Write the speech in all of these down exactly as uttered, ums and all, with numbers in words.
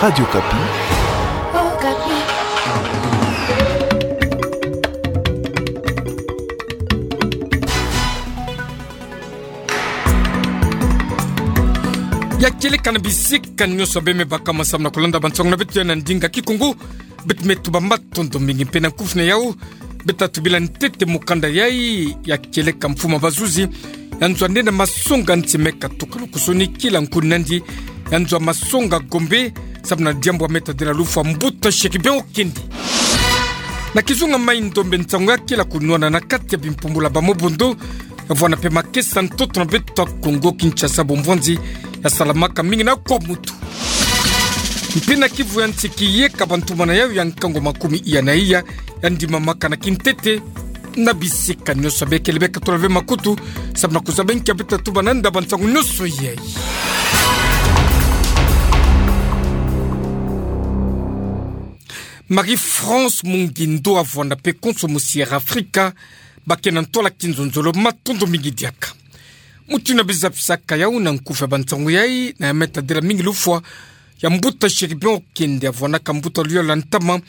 Radio Okapi. Okapi. Ya kieleka na bisika nyonso beme baka masamu na kulanda bansango na beto ya na ndinga Kikongo. Beto me tuba matondo mingi mpe na nkufi na yau. Beto tubila ntete mukanda yayi ya kieleka mfumu a bazuzi ya nzo anene masonga nti me katuka lukusoni kila nkuni nandi ya nzo a masonga Gombe, samu na diambu ya me tadila lufwa mbuta Chérubin Okende. Na kizunga mai ndombe nsangu ya kila kunwana na kati ya bimpumbulu ya ba Mobondo, ya vwanda mpe makesa ntoto na beto ya Kongo Kinshasa, bumvwanzi ya salamaka mingi na kwa mutu. Mpe na kivu ya nti kiyeka bantumana yau ya nkangu makumi iya na iya, ya ndimamaka na kintete na bisika nyonso. Bekele beka tula ve makutu, samu na kuzaba nkia beto tatuba na nda bansangu nyonso yayi. Marie-France Mungindo avwanda mpe konso musi Air Africa, bake na ntwala kinzonzolo, matondo mingi diaka. Muti na biza pisaka yau na nkufi ya bansangu yayi, na ya me tadila mingi lufwa ya mbuta Chérubin Okende, avwandaka mbuta luyalu ya ntama,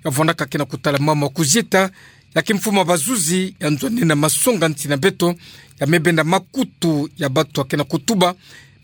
ya vwandaka ke na kutala mama kuzieta, ya ke mfumu a bazuzi ya nzo anene masonga nti na beto, ya me benda makutu ya batu ya ke na kutuba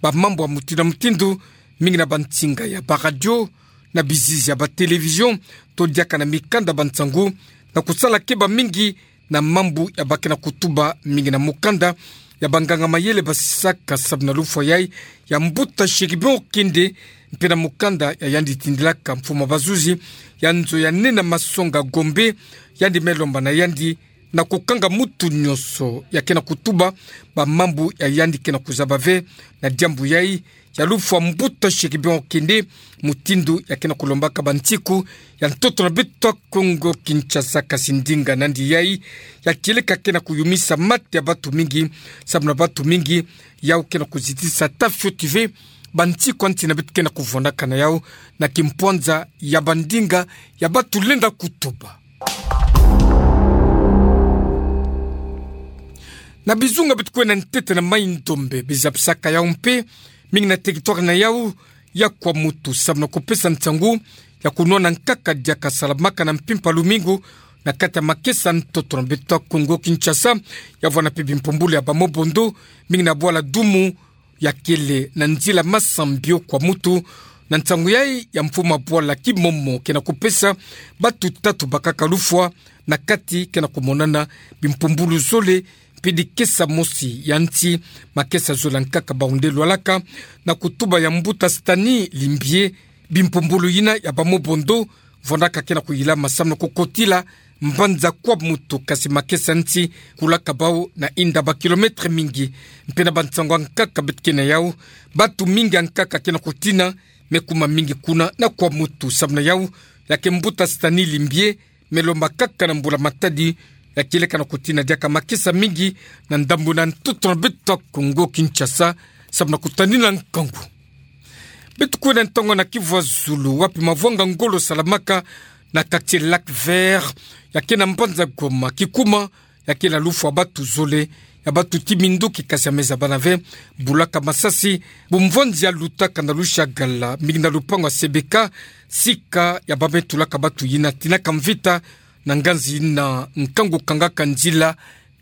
ba mambu ya mutindu na mutindu, mingi na bansinga ya ba radio, na bizizi ya ba télévision, to diaka na mikanda bansangu, na kusala keba mingi na mambu ya ba ke na kutuba mingi na mukanda ya banganga mayele basisaka samu na lufwa yayi ya mbuta Chérubin Okende, mpe na mukanda ya yandi tindilaka mfumu a bazuzi ya nzo ya nene masonga Gombe, yandi me lomba na yandi na kukanga mutu nyonso ya ke na kutuba ba mambu ya yandi ke na kuzaba ve na diambu yayi ya lufwa mbuta Chérubin Okende, mutindu ya ke na kulombaka bansiku ya ntoto na beto ya Kongo Kinshasa. Kasi ndinga nandi yayi ya kieleka ke na kuyumisa mate ya batu mingi, samu na batu mingi yau ke na kuzitisa ata fioti ve bansiku ya nti na beto ke na kuvwandaka na yau na kimpwanza ya bandinga ya batu lenda kutuba. Na bizunga beto kwenda ntete na mai ndombe, biza pisaka yau mpe mingi na territoire na yau ya Kwamouth, samu na kupesa nsangu ya kunwana nkaka diaka salamaka na mpimpa lumingu na kati ya makesa ntoto na beto ya Kongo Kinshasa, ya vwanda mpe bimpumbulu ya ba Mobondo, mingi na bwala Dumu, ya kele na nzila Massambio Kwamouth. Na nsangu yayi ya mfumu a bwala Kimomo ke na kupesa batu tatu bakaka lufwa, na kati ke na kumonana bimpumbulu zole, mpe dikesa mosi ya nti, makesa zole ya nkaka bawu nde lwalaka, na kutuba ya mbuta Stani Limbie, bimpumbulu yina ya ba Mobondo vwandaka ke na kuyilama samu na kukotila mbanza Kwamouth, kasi makesa nti kulaka bawu na inda ba kilomètre mingi. Mpe na bansangu ya nkaka beto ke na yau, batu mingi ya nkaka ke na kutina, me kuma mingi kuna na Kwamouth. Samu na yau, ya ke mbuta Stani Limbie me lomba kaka na mbula matadi ya kieleka na kutina diaka makesa mingi na ndambu na ntoto na beto ya Kongo Kinshasa, samu na kutanina nkangu. Beto kwenda ntongo na Kivu ya Zulu, wapi mavwanga ngolo salamaka na quartier Lac Vert, ya ke na mbanza Goma, kikuma ya ke na lufwa batu zole, ya batu ti minduki, kasi ya me zabana ve bulaka masasi, bumvwanzi ya lutaka na Lushagala, mingi na lupangu ya Sebeka, sika ya ba me tulaka batu yina tinaka mvita na nganzi yina nkangu kangaka nzila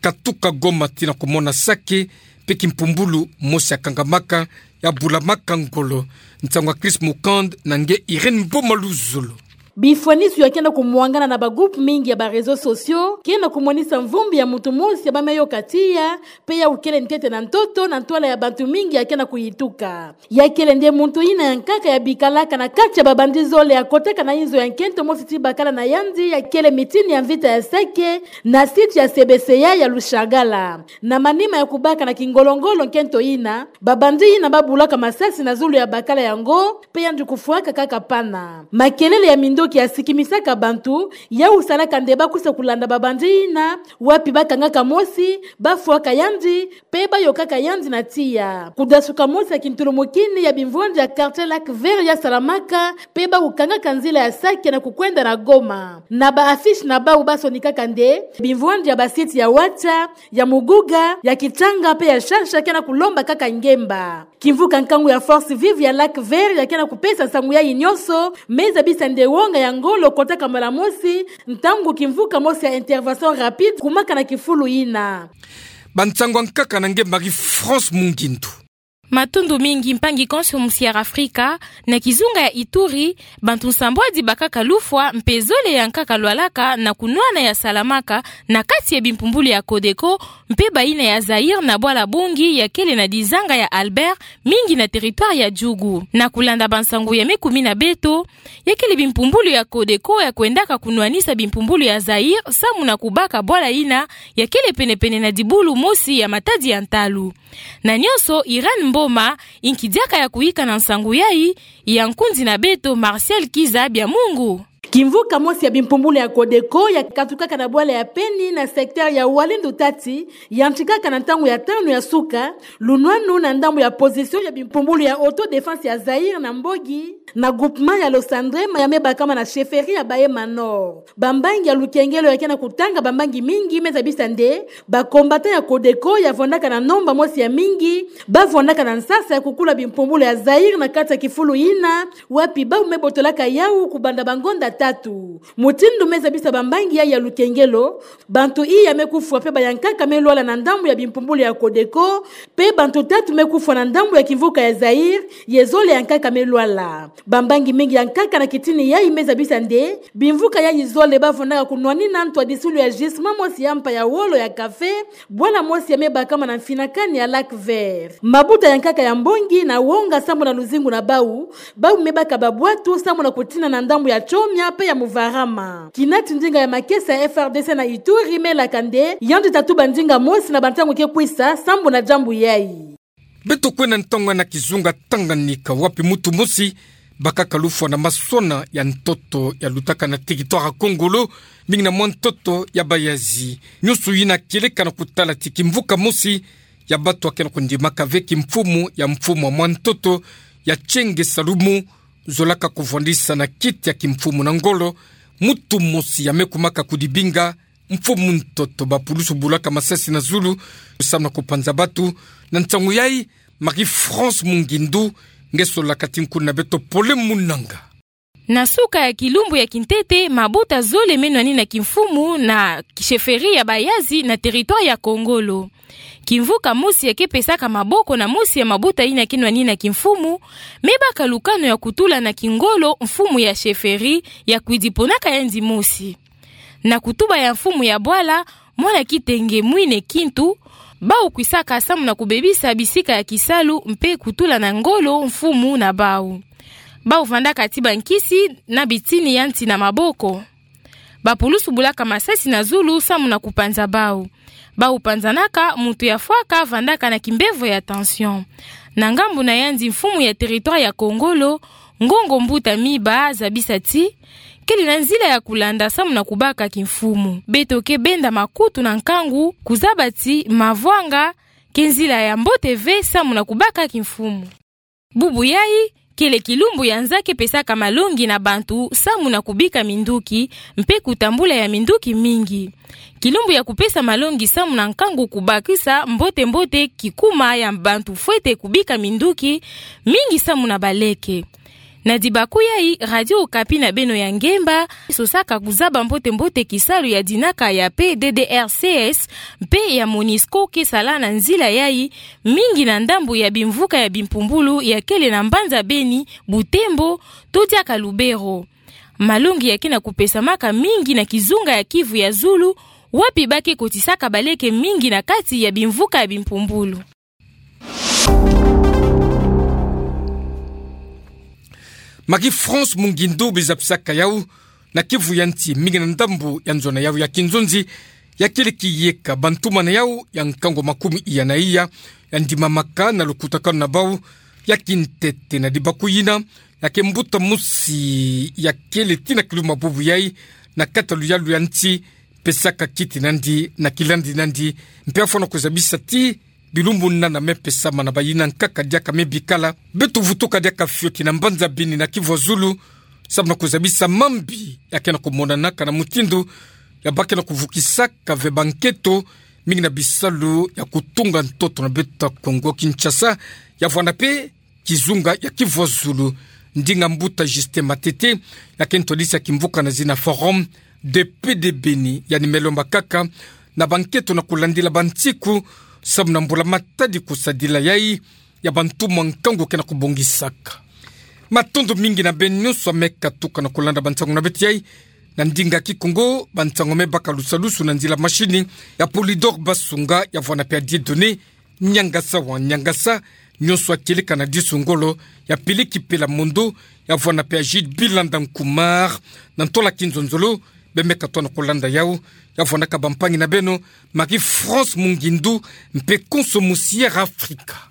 katuka Goma tii na kumona Sake, mpe kimpumbulu mosi ya kangamaka, ya bulamaka ngolo. Nsangu ya Chris Mukand na nge Irène Mboma Luzolo. Bifwanisu ya ke na kumwangana na ba groupe mingi ya ba réseaux sociaux ke na kumonisa mvumbi ya muntu mosi ya ba me yoka tiya, mpe yau kele ntete na ntoto na ntwala ya bantu mingi ya ke na kuyituka. Ya kele nde muntu yina ya nkaka ya bikalaka na kati ya ba bandit zole ya kotaka na inzo ya nkento mosi ti bakala na yandi ya kele mitini ya mvita ya Sake na site ya Sebeseya ya Lushagala. Na manima ya kubaka na kingolo-ngolo nkento yina, ba bandit yina ba bulaka masasi na zulu ya bakala yango, mpe yandi kufwaka kaka pana. Makelele ya minduki kia sikimisaka bantu, yau salaka nde bakwisa kulanda babandi yina, wapi bakangaka mosi, bafwaka yandi, pe bayokaka yandi na tiya. Kudasuka mosi ya kintulumukini ya bimvwandi ya quartier Lac Vert ya salamaka, pe bakukangaka nzila ya Sake na kukwenda na Goma. Na ba affiche na bau basonikaka nde, bimvwandi ya ba site ya Watia, ya Muguga, ya Kitanga pe ya Shasha ke na kulombakaka ngemba. Kimvuka nkangu ya Force Vive ya Lac Vert ya ke na kupesa nsangu yayi nyonso, me zabisa nde wonga ya ngolo kotaka mbala mosi, ntangu kimvuka mosi ya intervention rapide kumaka na kifulu yina. Bansangu ya nkaka na nge Marie-France Mungindu. Matundu mingi mpangi konso mu Sierra Afrika, na kizunga ya Ituri, bantu nsambwadi bakaka lufwa mpe zole ya nkaka lwalaka na kunwana ya salamaka na kati ya bimpumbulu ya Codeco mpe bayina ya Zaïre na bwala Bangui ya kele na dizanga ya Albert, mingi na territoire ya Djugu. Na kulanda bansangu ya me kumi na beto, ya kele bimpumbulu ya Codeco ya kwendaka kunwanisa bimpumbulu ya Zaïre samu na kubaka bwala yina ya kele penepene na dibulu mosi ya matadi ya ntalu. Na nyonso, Irène Mboma, inki diaka ya kuyika na nsangu yayi, ya nkundi na beto Martial Kiza Byamungu. Kimvuka mosi ya bimpumbulu ya Codeco ya katukaka na bwala ya Peni na secteur ya Walendu Tati, yantikaka na ntangu ya tanu ya suka, lunwanu na ndambu ya position ya bimpumbulu ya autodéfense ya Zaïre na Mbogi, na groupement ya Losandrema ya me bakama na chefferie ya Bahema Nord. Bambangi ya lukengelo ya ke na kutanga bambangi mingi me zabisa nde, ba combattants ya Codeco ya vwandaka na nomba mosi ya mingi, ba vwandaka na nsasa ya kukula bimpumbulu ya Zaïre na kati ya kifulu yina, wapi bau me botolaka yau kubanda bangonda tatu. Mutindu me zabisa bambangi yayi ya lukengelo, bantu iya me kufwa pe ba ya nkaka me lwala na ndambu ya bimpumbulu ya Codeco, pe bantu tatu me kufwa na ndambu ya kimvuka ya Zaïre, ye zole ya nkaka me lwala. Bambangi mingi ya nkaka na kitini yayi me zabisa nde, bimvuka yayi zole ba vwandaka kunwanina ntwadisilu ya gisement mosi ya mpa ya wolo ya café, bwala mosi ya me bakama na mfinakani ya Lac Vert. Mabuta ya nkaka ya mbongi na wonga samu na luzingu na bau, bau me baka babwatu samu na kutina na ndambu ya Tchomia pe ya Muvarama. Kinati ndinga ya makesa ya F R D C na Ituri me laka nde, yandi ta tuba ndinga mosi na bantangu ke kwisa, samu na diambu yayi. Beto kwenda ntonga na kizunga Tanganyika wapi mutu mosi bakaka lufwa na masona ya ntoto yalutaka na territoire ya Kongolo, mingi na mwa ntoto ya Bayazi. Nyunsu yina kieleka na kutala ti kimvuka mosi ya batu ya ke na kundimaka ve kimfumu ya mfumu ya mwa ntoto ya Tienge Salumu, zolaka kuvwandisa na kiti ya kimfumu na ngolo, mutu mosi ya me kumaka kudibinga mfumu ntoto. Bapulusu bulaka masasi na zulu samu na kupanza batu. Na nsangu yayi, Marie-France Mungindu, nge solaka ti nkuna beto Pole Munanga. Na suka ya kilumbu ya kintete, mabuta zole me nwanina kimfumu na chefferie ya Bayazi na territoire ya Kongolo. Kimvuka mosi ya ke pesaka maboko na mosi ya mabuta yina ke nwanina kimfumu, me baka lukanu ya kutula na kingolo mfumu ya chefferie ya kwidi ponaka yandi mosi. Na kutuba ya mfumu ya bwala, mwana Kitenge Mwine Kintu, bau kwisaka samu na kubebisa bisika ya kisalu mpe kutula na ngolo mfumu na bau. Bau vandaka ti bankisi na bitini ya nti na maboko. Bapulusu bulaka masasi na zulu samu na kupanza bau. Bau panzanaka, mutu ya fwaka vandaka na kimbevo ya tension. Na ngambu na yandi mfumu ya territoire ya Kongolo, Ngongo Mbuta Miba, zabisa ti kele na nzila ya kulanda samu na kubaka kimfumu. Beto ke benda makutu na nkangu kuzaba ti mavwanga ke nzila ya mbote ve samu na kubaka kimfumu. Bubu yayi, kele kilumbu ya nza ke pesaka malongi na bantu samu na kubika minduki, mpe kutambula ya minduki mingi. Kilumbu ya kupesa malongi samu na nkangu kubakisa mbote-mbote kikuma ya bantu fwete kubika minduki, mingi samu na baleke. Na dibaku yayi, Radio Okapi na beno ya ngemba sosaka kuzaba mbote-mbote kisalu ya dinaka ya P D D R C S mpe ya Monusco ke sala na nzila yayi, mingi na ndambu ya bimvuka ya bimpumbulu ya kele na mbanza Beni, Butembo, to diaka Lubero. Malongi ya ke na kupesamaka mingi na kizunga ya Kivu ya zulu, wapi ba ke kotisaka baleke mingi na kati ya bimvuka ya bimpumbulu. Marie-France Mungindu, bizapisaka yau, na Kivu ya nti, mingi na ndambu ya nzo na yau ya kinzonzi, ya kele kiyeka bantu mana yau ya nkangu makumi iya na iya ya ndimamaka na lukutakanu na bau, ya kintete na dibaku yina, ya ke mbuta mosi ya kele tina ki luma bubu yai, na kata luyalu ya nti, pesaka kiti nandi, na kilandi nandi, mpe afana kuzabisa ti, bilumbu nana me pesa mana bayina nkaka diaka me bikala, beto vutuka diaka fioti na mbanza bini na kivua zulu, samu na kuzabisa mambi, ya kena kumonanaka na mutindu, ya bakena kuvukisaka ve banketo, mingi na bisalu ya kutunga ntoto na beto Kongo Kinshasa, ya vwanda pe, kizunga ya kivua zulu, ndinga mbuta Justin Matete, ya ke ntwadisi ya kimvuka na zina Forum de Paix de Beni, ya ni melomba kaka, na banketo na kulandila bantiku, samu na mbula matadi kusadila yai, ya bantu mwa nkangu kena kubongisaka. Matondo mingi na beno nyonso a me katuka na kulanda bansangu na beto yai, na ndinga Kikongo, bansangu me baka lusalusu na nzila mashini, ya Polydor Basunga, ya vwanda pe ya Dieudonné, Niangasa wa Niangasa, nyonso a kieleka na disu ngolo, ya Peleki Pela Mondo, ya vwanda pe ya Jude Bilanda Nkumar, na ntola kinzonzolo, be me katoa na kulanda yau, ya vwandaka bampangi na beno, Marie-France Mungindu, mpe konso mu Sierra Africa.